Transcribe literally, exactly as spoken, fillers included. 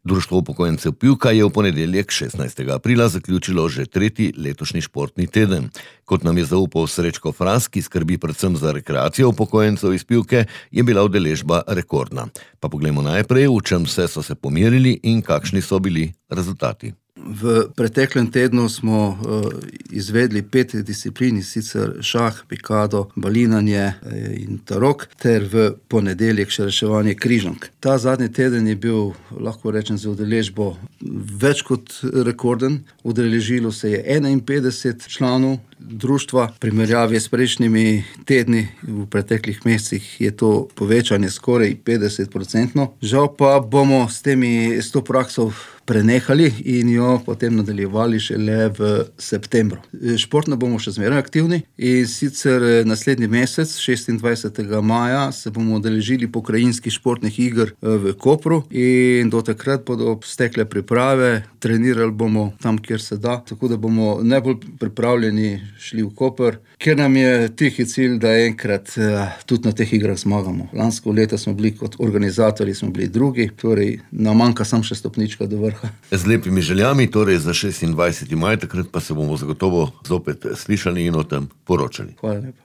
Društvo upokojencev Pivka je v ponedeljek šestnajstega aprila zaključilo že tretji letošnji športni teden. Kot nam je zaupal Srečko Fras, ki skrbi predvsem za rekreacijo upokojencev iz Pivke, je bila udeležba rekordna. Pa poglejmo najprej, v čem vse so se pomerili in kakšni so bili rezultati. V preteklem tednu smo uh, izvedli pet disciplin, sicer šah, pikado, balinanje in tarok, ter v ponedeljek še reševanje križank. Ta zadnji teden je bil, lahko rečem, za udeležbo več kot rekorden. Udeležilo se je enainpetdeset članov društva. V primerjavi s prejšnjimi tedni v preteklih mesecih je to povečanje skoraj petdeset procentno. Žal pa bomo s temi s to prakso prenehali in jo potem nadaljevali šele v septembru. Športno bomo še zmeraj aktivni in sicer naslednji mesec, šestindvajsetega maja, se bomo udeležili pokrajinskih športnih iger v Kopru in do takrat bodo stekle priprave, trenirali bomo tam, kjer se da, tako da bomo najbolj pripravljeni šli v Koper, ker nam je tihi cilj, da enkrat tudi na teh igrah zmagamo. Lansko leto smo bili kot organizatorji, smo bili drugi, torej nam manjka samo še stopnička do vrha. Z lepimi željami, torej za šestindvajseti maj, takrat pa se bomo zagotovo zopet slišali in o tem poročali. Hvala lepa.